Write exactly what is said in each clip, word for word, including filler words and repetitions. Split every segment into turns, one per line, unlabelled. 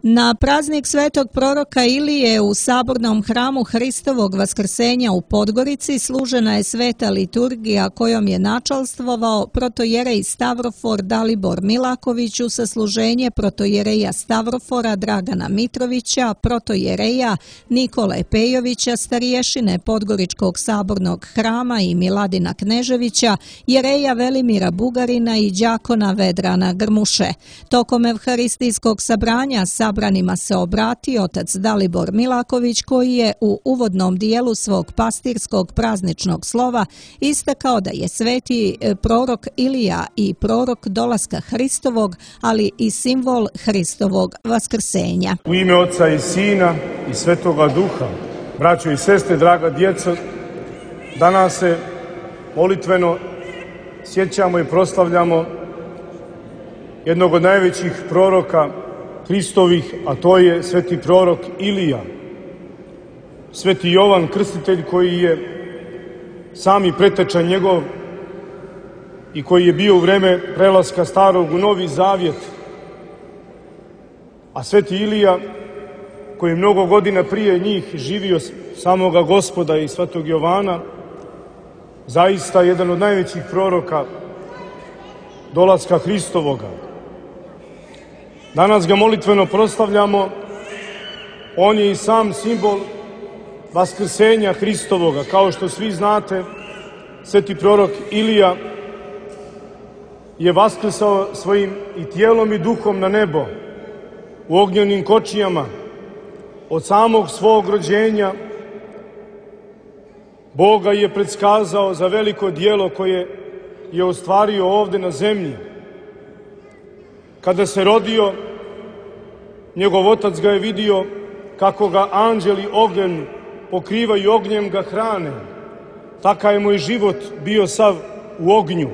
Na praznik svetog proroka Ilije u sabornom hramu Hristovog vaskrsenja u Podgorici služena je sveta liturgija kojom je načalstvovao protojerej Stavrofor Dalibor Milaković u sasluženje protojereja Stavrofora Dragana Mitrovića, protojereja Nikole Pejovića, starješine Podgoričkog sabornog hrama i Miladina Kneževića, jereja Velimira Bugarina i đakona Vedrana Grmuše. Tokom evharistijskog sabranja sabranima se obratio otac Dalibor Milaković, koji je u uvodnom dijelu svog pastirskog prazničnog slova istakao da je sveti prorok Ilija i prorok dolaska Hristovog, ali i simbol Hristovog vaskrsenja.
U ime Oca i Sina i Svetoga Duha, braćo i sestre, draga djeco, danas se molitveno sjećamo i proslavljamo jednog od najvećih proroka Hristovih, a to je sveti prorok Ilija. Sveti Jovan Krstitelj, koji je sami preteča njegov i koji je bio u vreme prelaska starog u Novi Zavjet. A sveti Ilija, koji je mnogo godina prije njih živio samoga Gospoda i svetog Jovana, zaista jedan od najvećih proroka dolaska Hristovoga. Danas ga molitveno proslavljamo. On je i sam simbol vaskrsenja Hristovoga. Kao što svi znate, sveti prorok Ilija je vaskrsao svojim i tijelom i duhom na nebo u ognjenim kočijama. Od samog svog rođenja Bog ga je predskazao za veliko djelo koje je ostvario ovde na zemlji. Kada se rodio, njegov otac ga je vidio kako ga anđeli ognjem pokrivaju, ognjem ga hrane. Takav je moj život bio sav u ognju.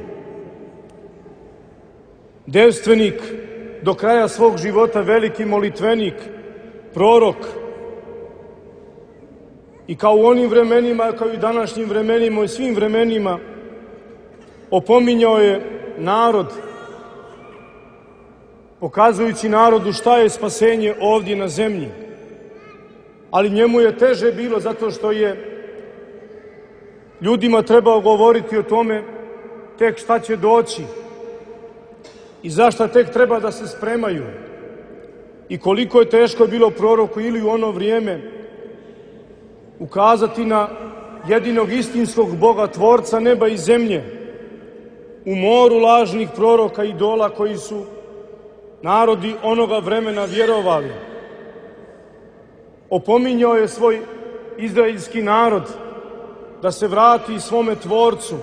Devstvenik, do kraja svog života veliki molitvenik, prorok. I kao u onim vremenima, kao i današnjim vremenima i svim vremenima, opominjao je narod, pokazujući narodu šta je spasenje ovdje na zemlji. Ali njemu je teže bilo zato što je ljudima trebao govoriti o tome tek šta će doći i zašta tek treba da se spremaju. I koliko je teško bilo proroku ili u ono vrijeme ukazati na jedinog istinskog Boga, tvorca neba i zemlje, u moru lažnih proroka i idola koji su narodi onoga vremena vjerovali. Opominjao je svoj izraelski narod da se vrati svome tvorcu,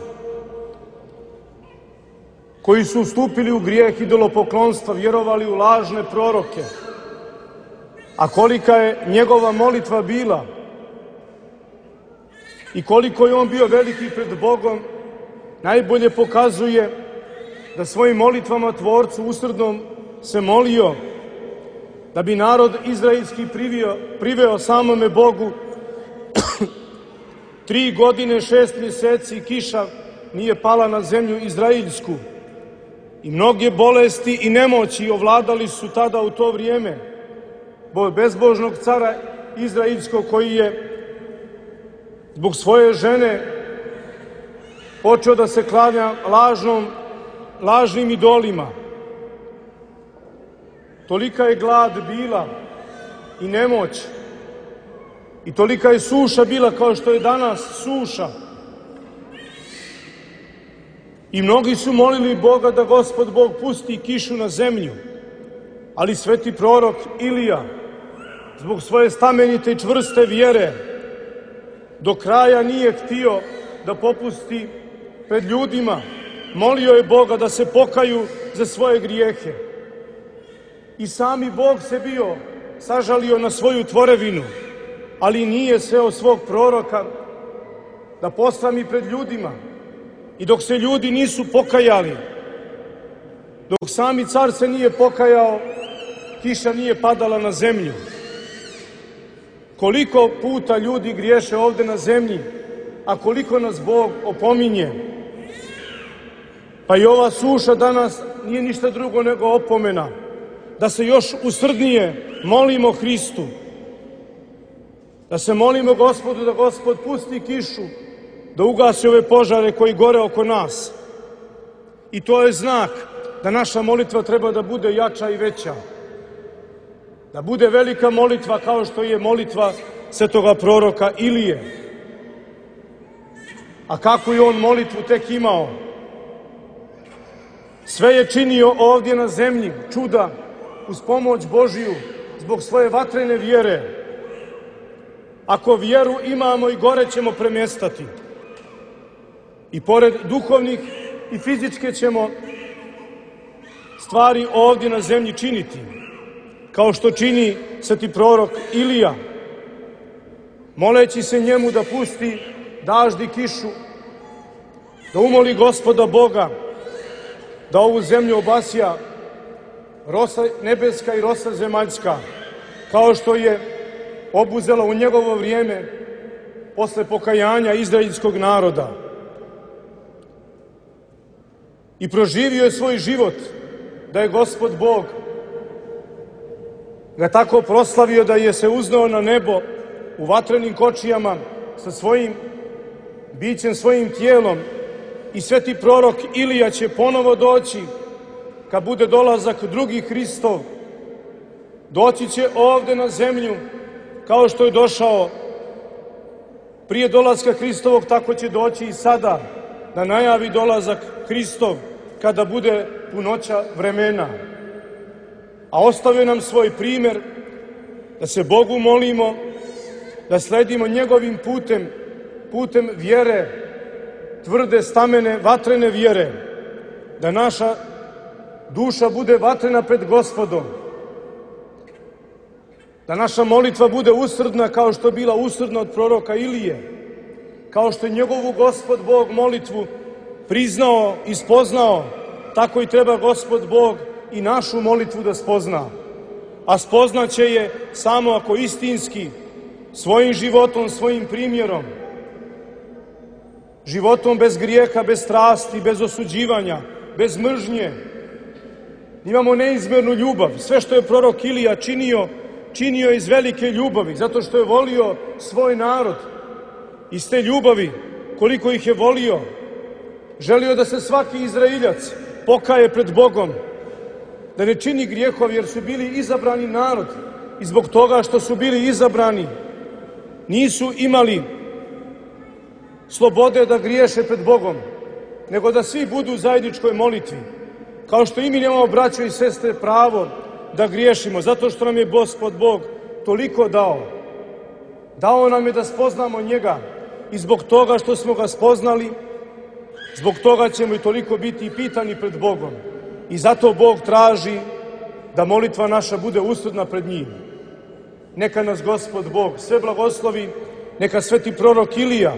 koji su ustupili u grijeh idolopoklonstva, vjerovali u lažne proroke. A kolika je njegova molitva bila i koliko je on bio veliki pred Bogom, najbolje pokazuje da svojim molitvama tvorcu usrdnom se molio da bi narod izraelski priveo, priveo samome Bogu. Tri godine, šest mjeseci kiša nije pala na zemlju izraelsku i mnoge bolesti i nemoći ovladali su tada u to vrijeme bezbožnog cara izraelskog, koji je zbog svoje žene počeo da se klanja lažnom, lažnim idolima. Tolika je glad bila i nemoć i tolika je suša bila kao što je danas suša. I mnogi su molili Boga da Gospod Bog pusti kišu na zemlju, ali sveti prorok Ilija, zbog svoje stamenite i čvrste vjere, do kraja nije htio da popusti pred ljudima. Molio je Boga da se pokaju za svoje grijehe. I sami Bog se bio sažalio na svoju tvorevinu, ali nije seo svog proroka da posrami pred ljudima. I dok se ljudi nisu pokajali, dok sami car se nije pokajao, kiša nije padala na zemlju. Koliko puta ljudi griješe ovde na zemlji, a koliko nas Bog opominje. Pa i ova suša danas nije ništa drugo nego opomena da se još usrdnije molimo Hristu, da se molimo Gospodu da Gospod pusti kišu, da ugasi ove požare koji gore oko nas. I to je znak da naša molitva treba da bude jača i veća, da bude velika molitva kao što je molitva svetoga proroka Ilije. A kako je on molitvu tek imao? Sve je činio ovdje na zemlji, čuda, uz pomoć Božiju, zbog svoje vatrene vjere. Ako vjeru imamo, i gore ćemo premjestati. I pored duhovnih i fizičke ćemo stvari ovdje na zemlji činiti, kao što čini sveti prorok Ilija, moleći se njemu da pusti dažd i kišu, da umoli Gospoda Boga da ovu zemlju obasja rosa nebeska i rosa zemaljska, kao što je obuzela u njegovo vrijeme posle pokajanja izraelskog naroda. I proživio je svoj život da je Gospod Bog ga tako proslavio da je se uznao na nebo u vatrenim kočijama sa svojim bićem, svojim tijelom. I sveti prorok Ilija će ponovo doći kad bude dolazak drugi Hristov. Doći će ovde na zemlju kao što je došao prije dolaska Hristovog, tako će doći i sada da najavi dolazak Hristov kada bude punoća vremena. A ostavio nam svoj primjer da se Bogu molimo, da sledimo njegovim putem, putem vjere, tvrde, stamene, vatrene vjere, da naša duša bude vatrena pred Gospodom, da naša molitva bude usrdna kao što je bila usrdna od proroka Ilije, kao što je njegovu Gospod Bog molitvu priznao i spoznao, tako i treba Gospod Bog i našu molitvu da spozna. A spoznaće je samo ako istinski, svojim životom, svojim primjerom, životom bez grijeha, bez strasti, bez osuđivanja, bez mržnje, imamo neizmjernu ljubav. Sve što je prorok Ilija činio, činio iz velike ljubavi, zato što je volio svoj narod. Iz te ljubavi, koliko ih je volio, želio da se svaki Izraeljac pokaje pred Bogom, da ne čini grijehov, jer su bili izabrani narod i zbog toga što su bili izabrani nisu imali slobode da griješe pred Bogom, nego da svi budu u zajedničkoj molitvi. Kao što i mi nemamo, braćo i sestre, pravo da griješimo, zato što nam je Gospod Bog toliko dao. Dao nam je da spoznamo njega i zbog toga što smo ga spoznali, zbog toga ćemo i toliko biti pitani pred Bogom. I zato Bog traži da molitva naša bude usrdna pred njim. Neka nas Gospod Bog sve blagoslovi, neka sveti prorok Ilija,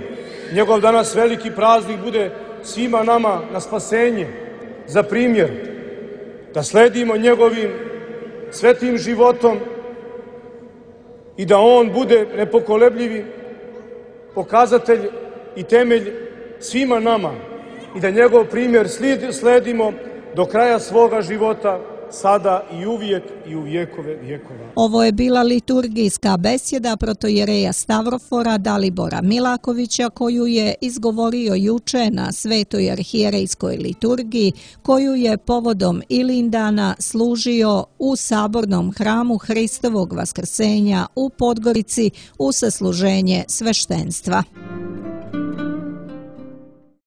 njegov danas veliki praznik, bude svima nama na spasenje, za primjer, da sledimo njegovim svetim životom i da on bude nepokolebljivi pokazatelj i temelj svima nama i da njegov primjer sledimo do kraja svoga života, sada i uvijek i u vjekove vjekova.
Ovo je bila liturgijska besjeda protojereja Stavrofora Dalibora Milakovića, koju je izgovorio juče na Svetoj arhijerejskoj liturgiji, koju je povodom Ilindana služio u sabornom hramu Hristovog vaskrsenja u Podgorici u sasluženje sveštenstva.